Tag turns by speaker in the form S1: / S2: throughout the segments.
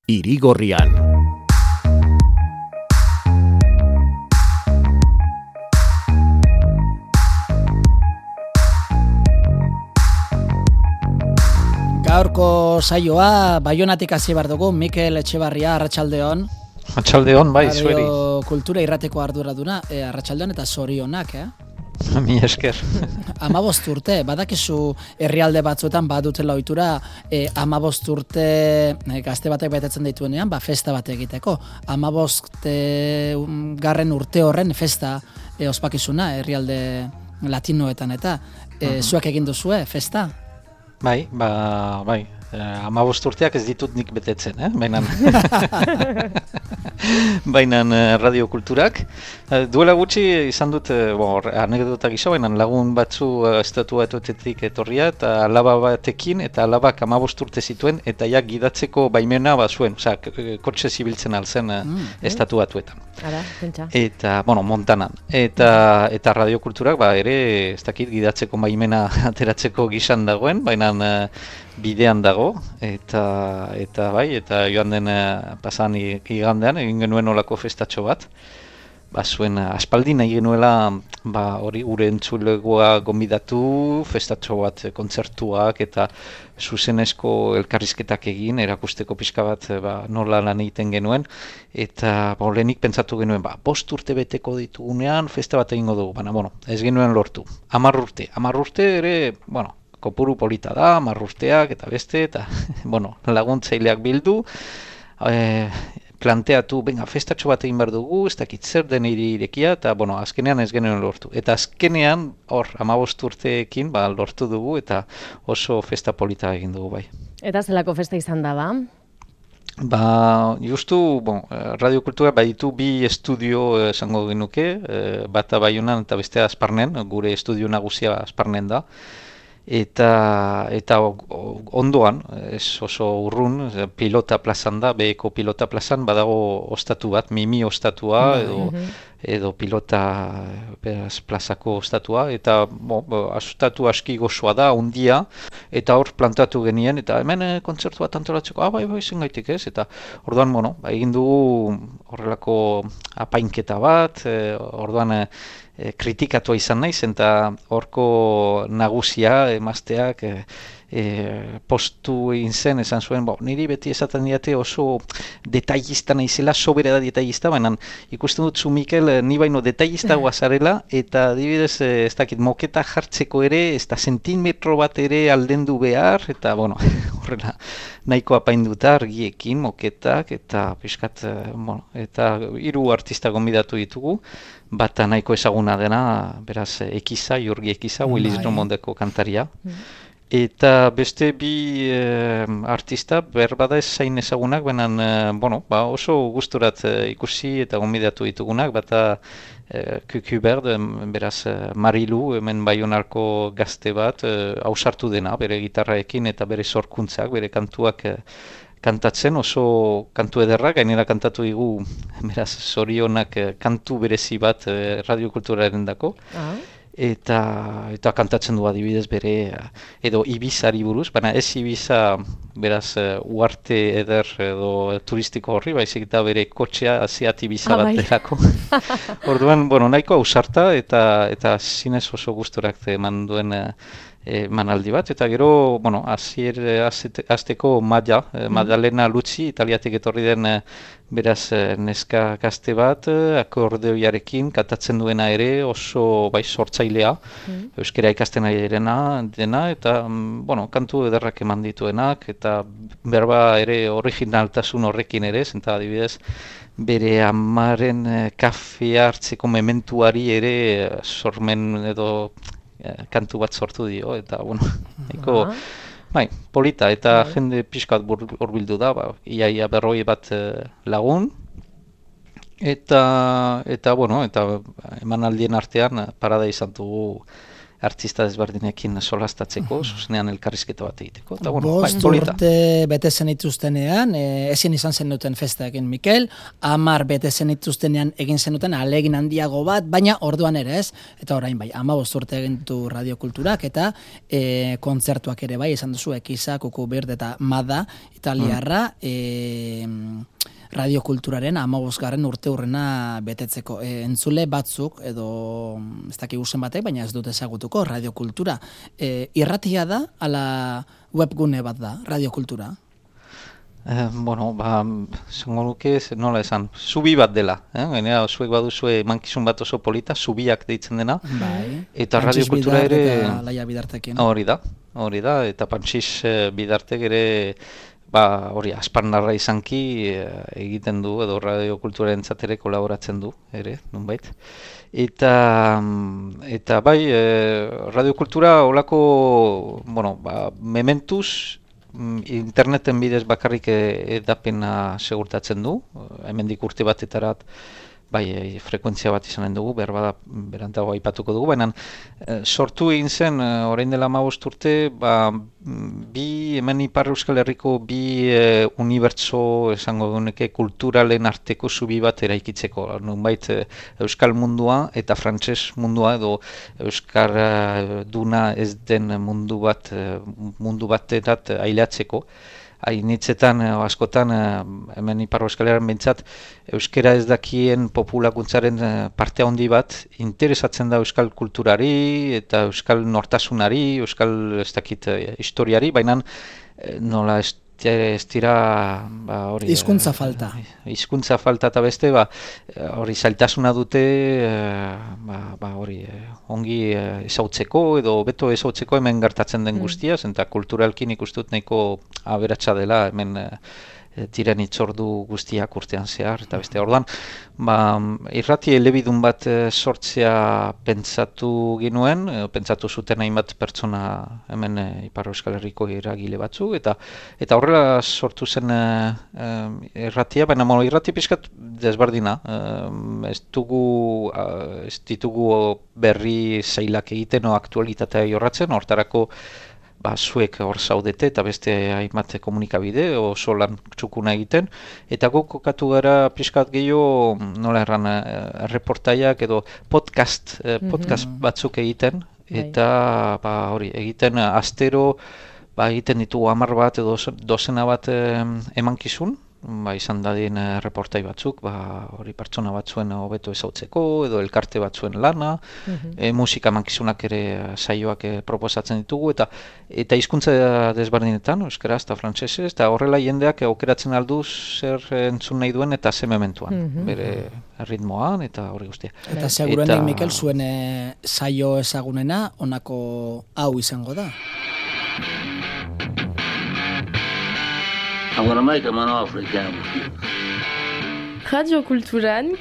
S1: Irigorrian.
S2: Gaurko saioa Baionatik hasi behar dugu. Mikel Etxebarria, arratsaldeon.
S3: Arratsaldeon, bai, zueri.
S2: Kultura irrateko arduraduna, arratsaldeon eta zorionak,
S3: Mi esker.
S2: 15 urte, badakizu herrialde batzuetan badutela ohitura 15 urte gazte batek betetzen dituenean, festa bat egiteko. 15 garren urte horren festa ospakizuna herrialde latinoetan eta zuek egin duzue festa?
S3: Bai. 15 urteak ez ditut nik betetzen, bainan radiokulturak. Duela gutxi izan dut, anekdota gisa, bainan lagun batzu estatuatuetetik etorria, eta alaba batekin, eta alabak 15 urte zituen, eta gidatzeko baimena bazuen, kotxe zibiltzen alzen estatuatuetan.
S4: Ara, pentsa.
S3: Eta, Montanan. Eta radiokulturak, ere, ez dakit, gidatzeko baimena ateratzeko gisan dagoen, bainan bidean dago, eta joan den pasan igandean egin genuen olako festatxo bat. Zuen aspaldi nahi genuela hori gure entzulegoa gonbidatu, festatxo bat kontzertuak eta zuzenezko elkarrizketak egin, erakusteko pixka bat nola lan egiten genuen, eta lehenik pentsatu genuen, 5 urte beteko ditugunean festa bat egingo dugu, ez genuen lortu. 10 urte ere, kopuru polita da, 10 urteak eta beste, eta laguntzaileak bildu, planteatu, festatxo bat egin behar dugu, ez dakit zer den irekia, eta azkenean ez genuen lortu. Eta azkenean, 15 urteekin lortu dugu, eta oso festa polita egin dugu bai.
S4: Eta zelako festa izan da, ba?
S3: Justu, radiokultura baditu 2 estudio esango genuke, bata Baionan eta bestea Asparnen, gure estudio nagusia Asparnen da. Eta ondoan, ez oso urrun, pilota plazan da, beheko pilota plazan, badago ostatu bat, Mimi ostatua, edo pilota plazako ostatua, eta ostatu aski gozoa da, ondia, eta hor plantatu genien, eta hemen kontzertu bat antolatzeko, bai, zen gaitik ez, eta orduan, egin dugu horrelako apainketa bat, orduan, kritikatua izan naiz, eta horko nagusia emazteak postu egin zen, esan zuen, niri beti esaten diate oso detailista naizela, sobera da detailista, baina ikusten dut zu Mikel, ni baino detailista guazarela, eta adibidez, ez dakit, moketa jartzeko ere, ez da zentimetro bat ere aldendu behar, eta horrela, nahiko apainduta argiekin, moketak, eta piskat, eta 3 artista gonbidatu ditugu, bata nahiko ezaguna dena, beraz, Jurgi Ekiza, Willis Drummondeko kantaria. Eta beste 2 artista, berbada ez zain ezagunak, baina, oso gusturat ikusi eta gonbidatu ditugunak, bata Kukuberd, beraz, Marilu, hemen Baionarko gazte bat, ausartu dena, bere gitarraekin eta bere sorkuntzak, bere kantuak kantatzen, oso kantu ederrak, gainera kantatu digu, beraz, zorionak kantu berezi bat radiokulturaren dako. Eta kantatzen du adibidez bere, edo Ibizari buruz, baina ez Ibiza, beraz, uarte eder edo turistiko horri, baizik eta bere kotxea Seat Ibiza bat delako. Orduan, nahiko ausarta eta zinez oso gusturak eman duen manaldi bat, eta gero, azteko Madalena Lutzi, italiatik etorri den beraz neska gazte bat, akordeoiarekin kantatzen duena ere oso sortzailea, euskera ikasten ari dena, eta kantu ederrak eman dituenak, eta berba ere originaltasun horrekin ere, eta adibidez, bere amaren kafea hartzeko mementuari ere sormen edo kantu bat sortu dio, eta nahiko polita, eta jende pixkat hurbildu da, iaia 40 bat lagun, eta emanaldien artean parada izan dugu artista desberdinekin solastatzeko, zuzenean elkarrizketa bat egiteko. Eta,
S2: 5 urte bete zenituztenean, ezin izan zenuten festa egin Mikel, 10 bete zenituztenean egin zenuten ahalegin handiago bat, baina orduan ere ez, eta orain 15 urte egin du radiokulturak, eta kontzertuak ere izan duzu Ekiza, Kukuberd eta Mada, italiarra, radiokulturaren 15. urteurrena betetzeko. Entzule batzuk, edo ez dakigu zenbatek, baina ez dut ezagutuko radiokultura. Irratia da, ala webgune bat da, radiokultura?
S3: Zango nuke, nola esan, zubi bat dela. Gainera, zuek baduzue emankizun bat oso polita, zubiak deitzen dena.
S2: Bai.
S3: Eta radiokultura ere...
S2: Eta Laia Bidartekin.
S3: Hori da, eta Pantxis Bidartek ere, asparnarra izanki egiten du, edo radiokulturaren ere kolaboratzen du, ere, nonbait. Eta bai, radiokultura olako, mementuz, interneten bidez bakarrik edapena segurtatzen du, hemendik urte batetarat frekuentzia bat izanen dugu, berantago aipatuko dugu, baina sortu egin zen, orain dela 15 urte, hemen Ipar Euskal Herriko bi unibertso esango duneke kulturalen arteko zubi bat eraikitzeko, nonbait Euskal mundua eta frantses mundua edo Euskar duna ez den mundu baterat aileatzeko. Hainitzetan, askotan, hemen Ipar Euskal Herrian behintzat, euskera ez dakien populakuntzaren parte handi bat interesatzen da euskal kulturari eta euskal nortasunari, euskal ez dakit historiari, baina nola ez dira hori...
S2: Hizkuntza falta.
S3: Hizkuntza falta eta beste, hori zailtasuna dute hori ongi ezautzeko edo beto ezautzeko hemen gertatzen den guztiaz, eta kulturalkin ikustut nahiko aberatsa dela hemen diren itzordu guztiak urtean zehar, eta beste orduan, irrati elebidun bat sortzea pentsatu ginuen, pentsatu zuten hainbat pertsona hemen Ipar Euskal Herriko eragile batzu, eta horrela sortu zen irratia, baina irrati pixkat desberdina, ez ditugu berri zailak egiten o aktualitatea jorratzen, hortarako zuek hor zaudete eta beste hainbat komunikabide oso lan txukuna egiten, eta guk kokatu gara pixkat gehiago nola erran reportaiak edo podcast batzuk egiten, eta hori egiten astero egiten ditugu 10 bat edo dozena bat emankizun, izan dadin reportai batzuk, hori pertsona batzuen hobeto ezautzeko, edo elkarte batzuen lana, musika mankizunak ere saioak proposatzen ditugu, eta hizkuntza desberdinetan, euskaraz eta frantsesez, eta horrela jendeak aukeratzen aldu zer entzun nahi duen eta ze mementuan, bere ritmoan eta hori guztia.
S2: Eta seguruenik, Mikel, zuen saio ezagunena honako hau izango da.
S1: I'm gonna make him an offer again.
S5: Radio Kulturan.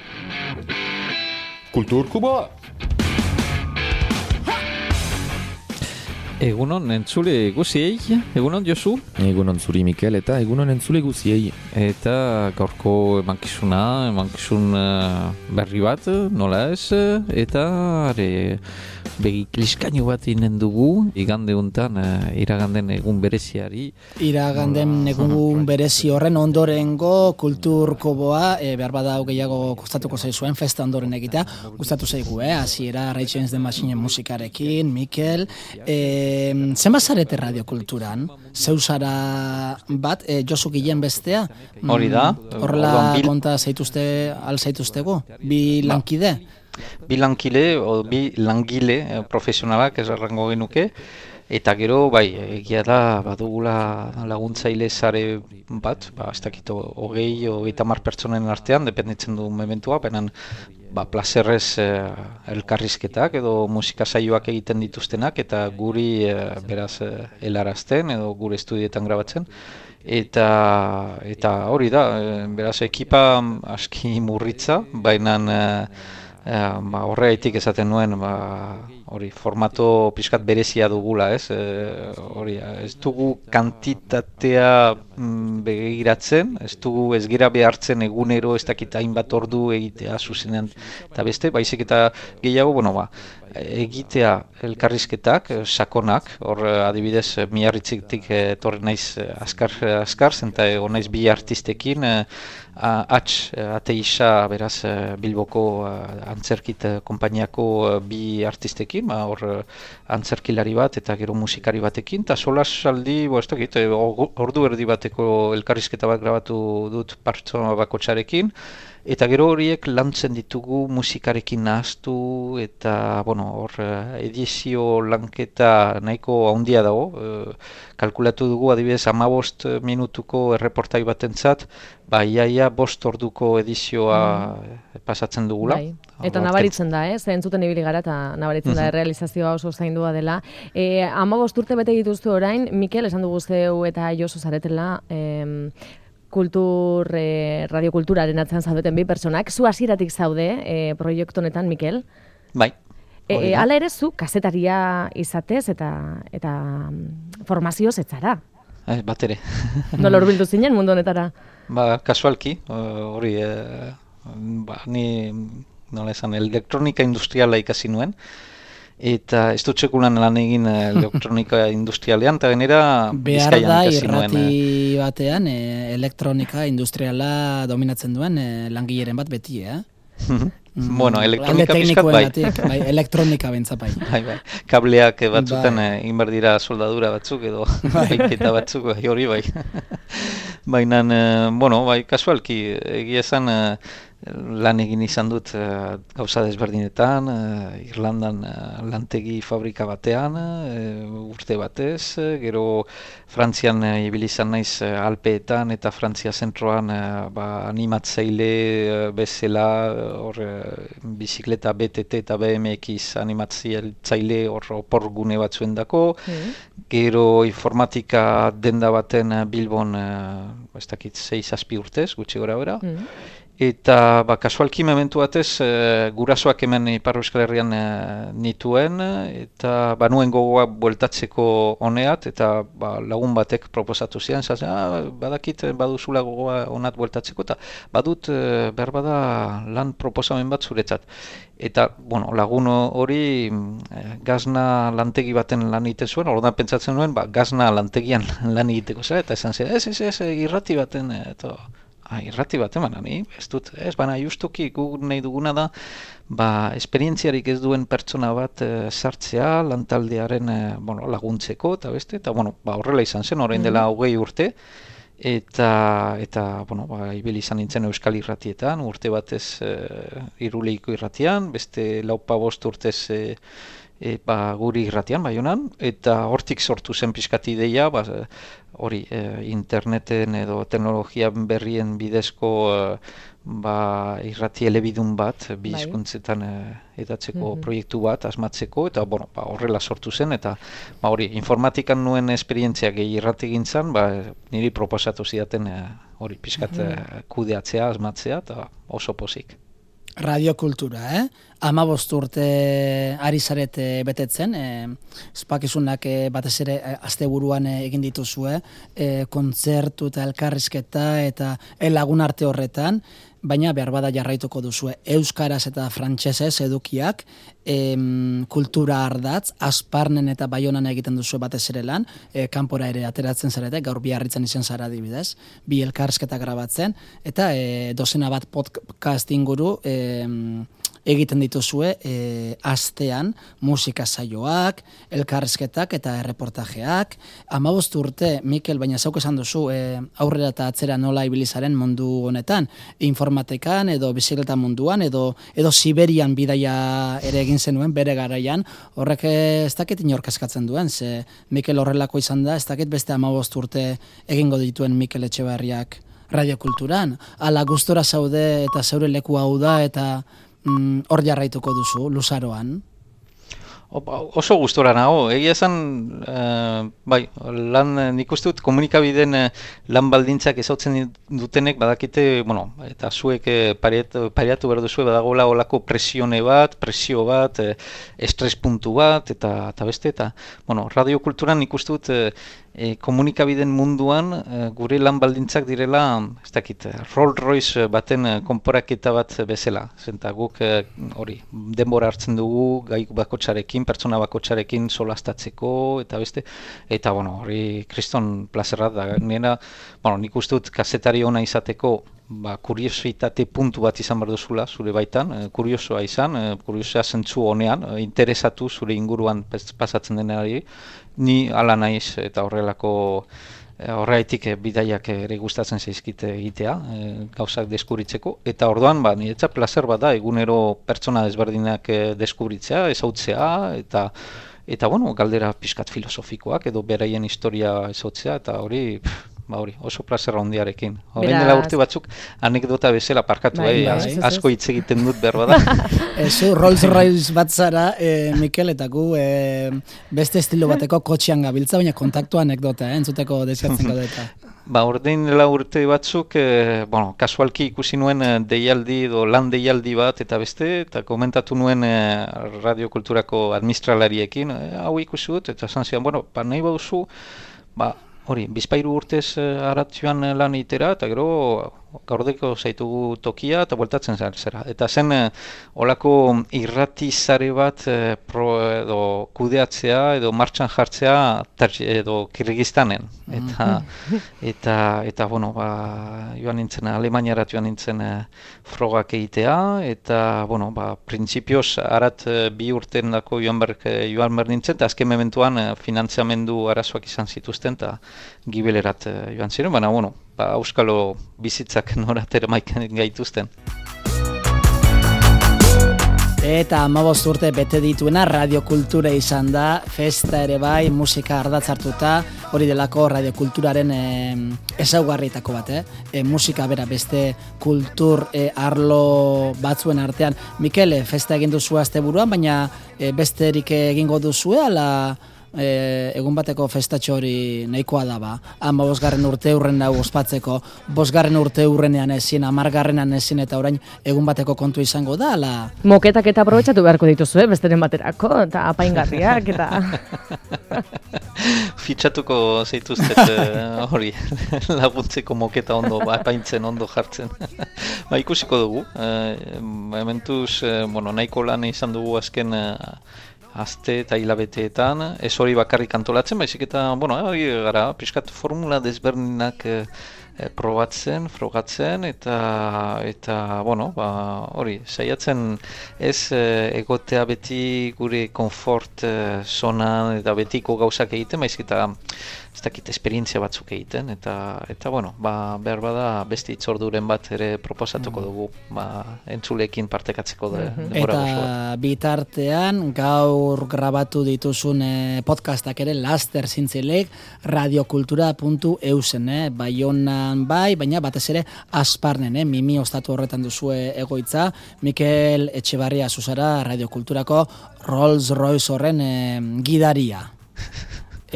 S6: Kulturkuba.
S3: Egunon entzule guziei, egunon Josu?
S6: Egunon zuri Mikel eta egunon entzule guziei.
S3: Eta gaurko emankizun berri bat, nola ez, eta begi kliskainu bat inen dugu, igande untan, iraganden egun bereziari.
S2: Iraganden egun berezi horren ondorengo kulturkoboa, behar badau gehiago gustatuko zaizuen festa ondoren egitea, gustatu zaigu, hasiera Rage Against the Machine musikarekin, Mikel, zenbat zarete radiokulturan? Zeusara bat, Josu Gilen bestea?
S3: Hori da.
S2: Horrela konta zaituztego? Bi lankide?
S3: Bi langile profesionalak ez errango genuke, eta gero, egia da, badugula laguntzaile sare bat, ez dakit 20-30 pertsonen artean, dependitzen du momentua, baina plazerrez elkarrizketak edo musika saioak egiten dituztenak, eta guri beraz helarazten edo gure estudietan grabatzen. Eta hori da, beraz ekipa aski murritza, baina horregatik esaten nuen, hori formato pixkat berezia dugula, ez? Ez dugu kantitatea begiratzen, ez gira behartzen egunero ez dakit hainbat ordu egitea zuzenean eta beste, baizik eta gehiago, egitea elkarrizketak, sakonak, hor adibidez Miarritzetik etorri naiz askar zenta egon naiz bi artistekin, Ateisa, beraz, Bilboko antzerkit konpainiako bi artistekin, hor antzerkilari bat eta gero musikari batekin, eta solasaldi, ez dakit, ordu erdi bat bateko elkarrizketa bat grabatu dut pertsona bakotxarekin, eta gero horiek lantzen ditugu musikarekin nahaztu, eta hor edizio lanketa nahiko handia dago. Kalkulatu dugu adibidez 15 minutuko erreportai batentzat, iaia 5 orduko edizioa pasatzen dugula.
S4: Bai. Eta nabaritzen da, entzuten ibili gara, eta nabaritzen da errealizazioa oso zaindua dela. 15 urte bete dituzte orain, Mikel, esan dugu zeu eta Josu zaretela, radiokulturaren atzean zaudeten bi pertsonak. Zu hasieratik zaude proiektu honetan, Mikel?
S3: Bai.
S4: Hala ere zu kasetaria izatez eta formazioz etzara.
S3: Bat ere.
S4: Nola hurbildu zinen mundu honetara?
S3: Kasualki, hori, ni nola esan, elektronika industriala ikasi nuen, eta ez dut sekulan lan egin elektronika industrialean, eta genera Bizkaian ikasi nuen.
S2: Behar da irrati batean elektronika industriala dominatzen duen langileren bat beti,
S3: Bueno, elektronika pizkat bai.
S2: Elektronika bentsa bai.
S3: Bai. Kableak batzutan inbar dira soldadura batzuk edo eta batzuk hori bai. Baina, kasualki, egia esan lan egin izan dut gauza desberdinetan, Irlandan lantegi fabrika batean, urte batez, gero Frantzian ibili izan naiz Alpeetan eta Frantzia zentroan animatzaile bezala, bizikleta BTT eta BMX animatzaile opor gune batzuendako, gero informatika denda baten Bilbon, ez dakit 6-7 urtez, gutxi gora bera, eta kasualki momentu batez gurasoak hemen Ipar Euskal Herrian nituen, eta banuen gogoa bueltatzeko honeat, eta lagun batek proposatu zian, badakit baduzula gogoa honat bueltatzeko, eta badut behar bada lan proposamen bat zuretzat. Eta, lagun hori gazna lantegi baten lan egiten zuen, orduan pentsatzen nuen, gazna lantegian lan egiteko zera, eta esan zen, ez, irrati baten, eta irrati bat eman, ez dut, baina justuki guk nahi duguna da, esperientziarik ez duen pertsona bat sartzea, lantaldearen laguntzeko, eta beste, eta horrela izan zen, orain dela 20 urte, eta ibili izan nintzen Euskal Irratietan, urte batez Iruleiko irratian, beste 4-5 urtez guri irratian, Baionan, eta hortik sortu zen pixkat ideia, hori interneten edo teknologia berrien bidezko irrati elebidun bat, bi hizkuntzetan edatzeko proiektu bat asmatzeko, eta horrela sortu zen, eta hori informatikan nuen esperientzia gehi irrati gintzan, niri proposatu zidaten hori pixkat kudeatzea, asmatzea, eta oso pozik.
S2: Radiokultura, 15 urte ari zarete betetzen, espakizunak batez ere asteburuan egin dituzue, kontzertu eta elkarrizketa eta lagun arte horretan, baina behar bada jarraituko duzue euskaraz eta frantsesez edukiak, kultura ardatz, Asparnen eta Baionan egiten duzue batez ere lan, kanpora ere ateratzen zarete, gaur Biarritzen izan zara adibidez, bi elkarrizketa grabatzen, eta dozena bat podcast inguru egiten dituzue astean musika saioak, elkarrizketak eta erreportajeak. 15 urte, Mikel, baina zauk esan duzu aurrera eta atzera nola ibilizaren mundu honetan, informatikan edo bizikleta munduan edo Siberian bidaia ere egin zenuen bere garaian, horrek ez dakit inork eskatzen duen, ze Mikel horrelako izan da, ez dakit beste 15 urte egingo dituen Mikel Etxebarriak radiokulturan, ala gustora zaude eta zeure leku hau da eta hor jarraituko duzu, luzaroan?
S3: Oso gustora nago, egia esan, nik uste dut komunikabideen lan baldintzak ezautzen dutenek badakite, eta zuek pareatu behar duzue badagoela olako presio bat, estres puntu bat, eta beste, eta radiokulturan nik uste dut komunikabideen munduan gure lan baldintzak direla, ez dakit, Rolls Royce baten konporaketa bat bezala. Zenta guk hori denbora hartzen dugu gai bakotxarekin, pertsona bakotxarekin solastatzeko, eta beste, eta hori kriston plazerrat da. Nik uste dut kazetari ona izateko kuriositate puntu bat izan behar duzula zure baitan, kuriosoa izan, kuriosoa zentzu honean, interesatu zure inguruan pasatzen denari, ni ala naiz eta horrelako Horregatik bidaiak ere gustatzen zaizkite egitea, gauzak deskubritzeko, eta orduan niretzat plazer bat da egunero pertsona desberdinak deskubritzea, ezautzea, eta bueno, galdera pixkat filosofikoak edo beraien historia ezautzea, eta hori oso plazerra handiarekin. Horrein dela urte batzuk anekdota bezala parkatu, asko hitz egiten dut behar da.
S2: Zu Rolls Royce bat zara, Mikel, eta gu beste estilo bateko kotxean gabiltza, baina kontaktua anekdota, entzuteko desiatzen gaudeta.
S3: Ordein dela urte batzuk, kasualki ikusi nuen deialdi edo lan deialdi bat eta beste, eta komentatu nuen radiokulturako administralariekin, hau ikusi dut, eta esan zian, nahi baduzu, hori, bizpairu urtez aratioan lan itera, eta gero gaurdeko zaitugu tokia eta bueltatzen zera. Eta zen olako irratizare bat edo kudeatzea edo martxan jartzea edo Kirgistanen. Eta joan nintzen, Alemaniarat joan nintzen frogak egitea, eta, printzipioz arat 2 urten dako joan behar nintzen, eta azken mementuan finantziamendu arazoak izan zituzten, eta gibelerat joan ziren, baina, auskalo bizitzak noratera maiken gaituzten.
S2: Eta 15 urte bete dituena radiokultura izan da, festa ere bai, musika ardatz hartuta, hori delako radiokulturaren ezaugarrietako bat, musika bera beste kultur arlo batzuen artean. Mikel, festa egin duzu asteburuan, baina besterik egingo duzu, ala egun bateko festatxo hori nahikoa da 15. urte hurren dago ospatzeko, 5. urte hurrenean ezin, 10. ezin, eta orain egun bateko kontu izango da, ala?
S4: Moketak eta aprobetxatu beharko dituzu, besteren baterako, eta apaingarriak, eta...
S3: Fitxatuko zeituztet hori, laguntzeko moketa ondo, apaintzen ondo jartzen. Ikusiko dugu, momentuz, nahiko lan izan dugu azken aste eta hilabeteetan, ez hori bakarrik antolatzen, baizik eta, hori gara, pixkat formula desberdinak probatzen, frogatzen, eta hori, saiatzen ez egotea beti gure konfort zonan eta betiko gauzak egiten, baizik eta ez dakit esperientzia batzuk egiten, eta behar bada beste itzorduren bat ere proposatuko dugu, entzuleekin partekatzeko denbora gozoa.
S2: Eta bitartean, gaur grabatu dituzun podcastak ere laster zintzileik radiokultura.eusen, Baionan bai, baina batez ere Asparnen, Mimi ostatu horretan duzue egoitza, Mikel Etxebarria zuzara radiokulturako Rolls Royce horren gidaria.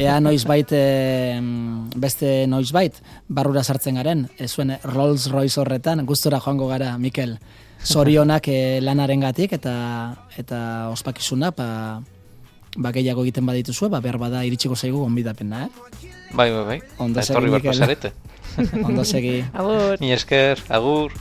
S2: Ea noizbait, beste noizbait, barrura sartzen garen, zuen Rolls Royce horretan, gustora joango gara, Mikel. Zorionak lanarengatik eta ospakizuna, gehiago egiten badituzue, behar bada iritsiko zaigu gonbidapena,
S3: Bai.
S2: Ondo
S3: segi, Mikel.
S2: Ondo segi.
S4: Agur.
S3: Mi esker, agur.